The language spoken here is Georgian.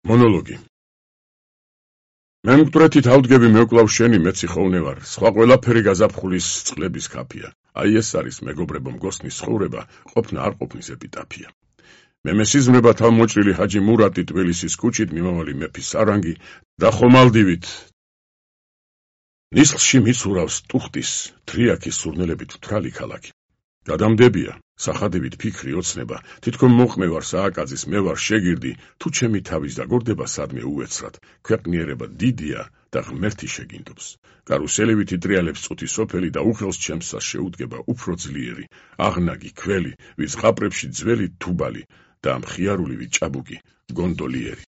მონოლოგი. მე მკვდრეთით ავდგები მევკლავ შენი მეცი ხოვნე ვარ, სხვა ყველაფერი გაზაფხულის წყლების ქაფია. აი ეს არის მეგობრებო მგოსნის ცხოვრება, ყოფნა არ ყოფნის ეპიტაფია. მე მესიზმრება თავმოჭრილი ჰაჯი მურატი ტბილისის ქუჩით მიმავალი მეფის სარანგი და ხომალდივით ნისლში მიცურავს ტუხტის თრიაქის სურნელებით მთრალი ქალაქი. გადამდებია სახადებით ფიქრი ოცნება, თითქოს მოყმევარ სააკაძის მე ვარ შეგირდი, თუ ჩემი თავის დაგორდება სადმე უეცრად, ქვეყნიერება დიდია და ღმერთი შეგინდობს. კარუსელივითი ტრიალებს წუთი სოფელი და უხელს ჩემსას შეუდგება უფრო ძლიერი, აღნაგი ქველი, ვის ყაპრებში ძველი თუბალი და მხიარულივი ჭაბუკი გონდოლიერი.